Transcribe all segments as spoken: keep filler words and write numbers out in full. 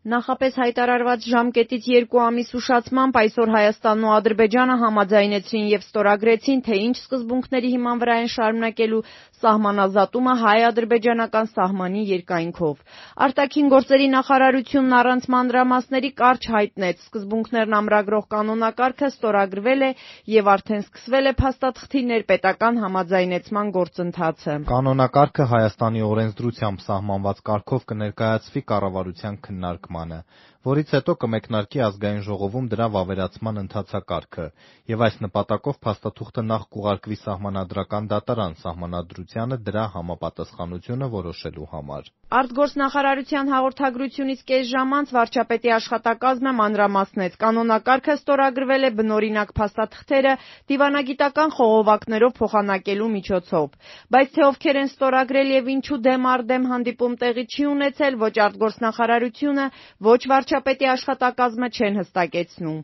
Նախապես հայտարարված ժամկետից երկու ամիս ուշացմամբ այսօր Հայաստանն ու Ադրբեջանը համաձայնեցրին եւ ստորագրեցին, թե ինչ սկզբունքների հիման վրա են շարունակելու սահմանազատումը հայ-ադրբեջանական սահմանի երկայնքով։ Արտաքին գործերի նախարարությունն առանց մանրամասների կարճ հայտնեց, սկզբունքներն ամրագրող կանոնակարգը ստորագրվել է եւ արդեն սկսվել է փաստաթղթի ներպետական համաձայնեցման գործընթացը։ Կանոնակարգը Հայաստանի օրենսդրությամբ սահմանված կարգով կներկայացվի կառավարության քննարկմանը, որից հետո կմեկնարկի ազգային ժողովում դրա վավերացման ընթացակարգը, եւ այս նպատակով փաստաթուղթը նախ կուղարկվի Սահմանադրական դատարան Սահմանադրությանը դրա համապատասխանությունը որոշելու համար։ Արտգործնախարարության հաղորդագրությունից կես ժամ անց վարչապետի աշխատակազմը մանրամասնեց, կանոնակարգը ստորագրվել է բնօրինակ փաստաթղթերը դիվանագիտական խողովակներով փոխանակելու միջոցով, բայց թե ովքեր են ստորագրել եւ ինչու դեմ առ դեմ հանդիպում տեղի չի ունեցել, ոչ արտգործնախարարությունը, ոչ վարչապետի աշխատակազմը չեն հստակեցնում։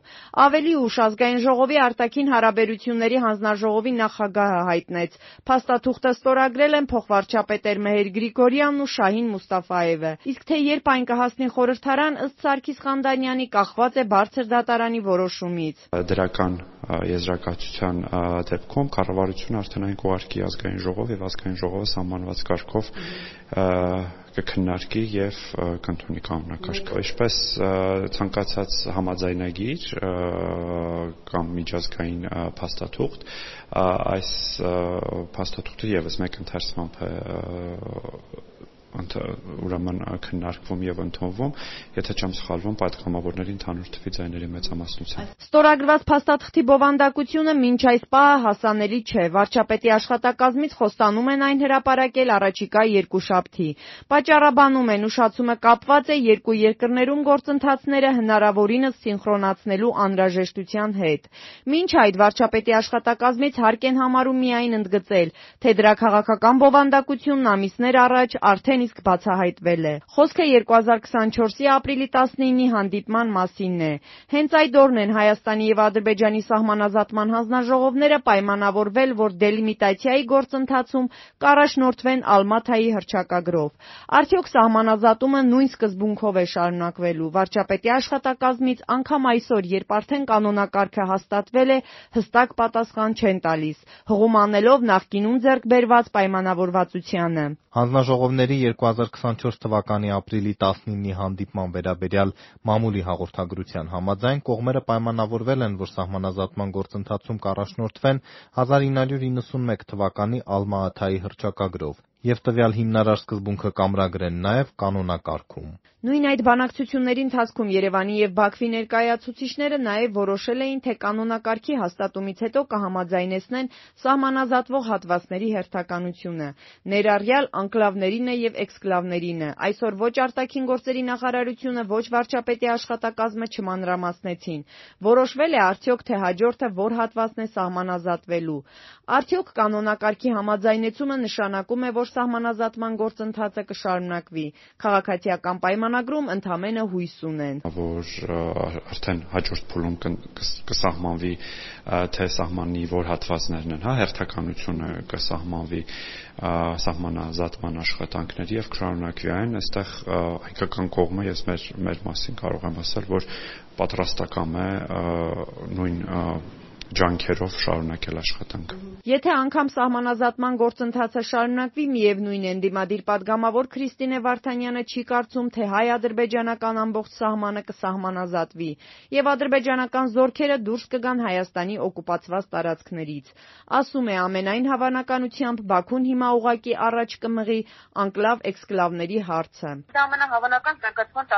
Ավելի ուշ ազգային ժողովի արտաքին հարաբերությունների հանձնաժողովի նախագահը հայտնեց, փաստաթուղթը ստորագրել են փոխվարչապետեր Մեհեր Գրիգորյանն ու Շահին Մուստաֆաևը, իսկ թե երբ այն կհասնի խորհրդարան, ըստ Սարգիս Խանդանյանի, կախված է բարձր դատարանի որոշումից։ Դրական եզրակացության դեպքում կառավարությունը արդեն այն կուղարկի ազգային ժողով եւ ազգային ժողովը սահմանված կարգով կքննարկի եւ կընդունի կանոնակարգը։ Ինչպես ցանկացած համաձայնագիր կամ միջազգային փաստաթուղթ, այս փաստաթուղթը եւս մեկ ընթերցմամբ է ուրեմն քննարկվում եւ ընդունվում, եթե չեմ սխալվում, պատգամավորների ընդհանուր թվի ձայների մեծամասնությամբ։ Ստորագրված փաստաթղթի բովանդակությունը մինչ այս պահը հասանելի չէ։ Վարչապետի աշխատակազմից խոստանում են այն հրապարակել առաջիկա երկուշաբթի։ Պատճառաբանում են, ուշացումը կապված է երկու երկրներում գործընթացները հնարավորինս սինխրոնացնելու անհրաժեշտության հետ։ Մինչ այդ վարչապետի աշխատակազմից հարկ են համարում միայն ընդգծել, թե դրա քաղաքական բովանդակությունն ամիսներ առաջ արդեն իսկ բացահայտվել է։ Խոսքը երկու հազար քսանչորսի ապրիլի տասնինի հանդիպման մասինն է։ Հենց այդ օրն են Հայաստանի եւ Ադրբեջանի սահմանազատման հանձնաժողովները պայմանավորվել, որ դելիմիտացիայի գործընթացում կառաջնորդվեն Ալմաթայի հռչակագրով։ Արդյոք սահմանազատումը նույն սկզբունքով է շարունակվելու։ Վարչապետի աշխատակազմից անգամ այսօր, երբ արդեն կանոնակարգը հաստատվել է, հստակ պատասխան չեն տալիս, հղում անելով նախկինում ձեռք բերված պայմանավորվածությանը։ Հանձնաժողովների երկու հազար քսանչորս թվականի ապրիլի տասնինի հանդիպման վերաբերյալ մամուլի հաղորդագրության համաձայն կողմերը պայմանավորվել են, որ սահմանազատման գործընթացում կառաջնորդվեն հազար ինը հարյուր իննսունմեկ թվականի Ալմա-Աթայի հռչակագրով եւ տվյալ հիմնարար սկզբունքը կամրագրեն նաեւ կանոնակարգում։ Նույն այդ բանակցությունների ընթացքում Երևանի եւ Բաքվի ներկայացուցիչները նաեւ որոշել էին, թե կանոնակարգի հաստատումից հետո կհամաձայնեցնեն սահմանազատվող հատվածների հերթականությունը, ներառյալ անկլավներինը եւ էքսկլավներինը։ Այսօր ոչ արտաքին գործերի նախարարությունը, ոչ վարչապետի աշխատակազմը չմանրամասնեցին։ Որոշվել է արդյոք, թե հաջորդը որ հատվածն է սահմանազատվելու։ Արդյոք կանոնակարգի համաձայնեցումը նշանակում է, որ սահմանազատման գործընթացը կշարունակվի։ Քաղաքացիական պայմանագրում ընդամենը հույս ունեն, որ արդեն հաջորդ փուլում կսահմանվի, թե սահմանի որ հատվածներն են, հա, հերթականությունը կսահմանվի սահմանազատման աշխատանքների եւ կշարունակվի այն, այստեղ հայկական կողմը ես մեր մեր մասին կարող եմ ասել, որ պատրաստական է նույն ջանքերով շարունակել աշխատանքը։ Եթե անգամ սահմանազատման գործընթացը շարունակվի, միևնույն է, ընդդիմադիր պատգամավոր Քրիստինե Վարդանյանը չի կարծում, թե հայ-ադրբեջանական ամբողջ սահմանը կսահմանազատվի եւ ադրբեջանական զորքերը դուրս կգան Հայաստանի օկուպացված տարածքներից։ Ասում է, ամենայն հավանականությամբ Բաքուն հիմա ուղղակի առաջ կմղի անկլավ-էքսկլավների հարցը։ Դա ամենահավանական զարգացման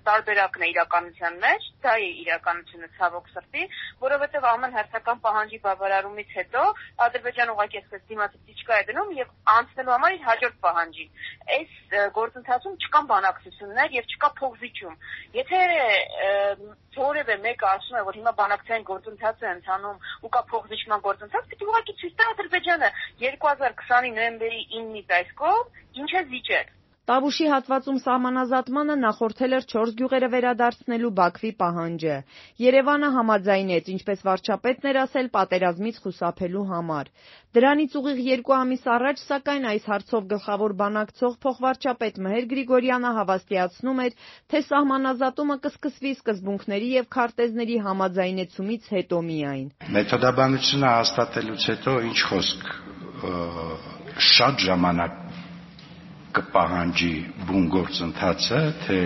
տարբերակն է իրականության մեջ, դա է իրականությունը ցավոք սրտի, որովհետեւ ամեն հերթական պահանջի բավարարումից հետո Ադրբեջանը ուղղակի այսպես դիմացի չկա է դնում եւ անցնելու համար իր հաջորդ պահանջի։ Այս գործընթացում չկան բանակցություններ եւ չկա փոխզիջում։ Եթե որևէ մեկը ասում է, որ հիմա բանակցային գործընթաց է ընթանում ու կա փոխզիջման գործընթաց, պիտի ուղղակի ցույց տա Ադրբեջանը երկու հազար քսանի նոյեմբերի իննից այս կողմ ինչ է զիջել։ Տավուշի հատվածում սահմանազատմանը նախորդել էր չորս գյուղերը վերադարձնելու Բաքվի պահանջը։ Երևանը համաձայնեց, ինչպես վարչապետն էր ասել, պատերազմից խուսափելու համար։ Դրանից ուղիղ երկու ամիս առաջ, սակայն, այս հարցով գլխավոր բանակցող փոխվարչապետ Մհեր Գրիգորյանը հավաստիացնում էր, թե սահմանազատումը կսկսվի սկզբունքների եւ քարտեզների համաձայնեցումից հետո միայն։ Մեթոդաբանությունը հաստատելուց հետո ինչ խոսք շատ ժամանակ կպահանջի բուն գործընթացը, թե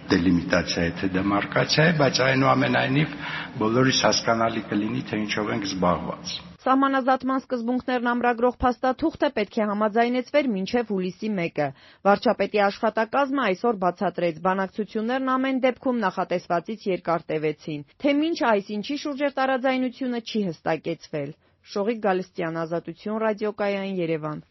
դելիմիտացիա է, թե դեմարկացիա է, բայց այնուամենայնիվ բոլորիս հասկանալի կլինի, թե ինչով ենք զբաղված։ Սահմանազատման սկզբունքներն ամրագրող փաստաթուղթը պետք է համաձայնեցվեր մինչև հուլիսի մեկը։ Վարչապետի աշխատակազմը այսօր բացատրեց, բանակցություններն ամեն դեպքում նախատեսվածից երկար տևեցին, թե մինչ այս ինչի շուրջ էր տարաձայնությունը չի հստակեցվել։ Շողիկ Գալստյան, Ազատություն ռադիոկայան, Երևան։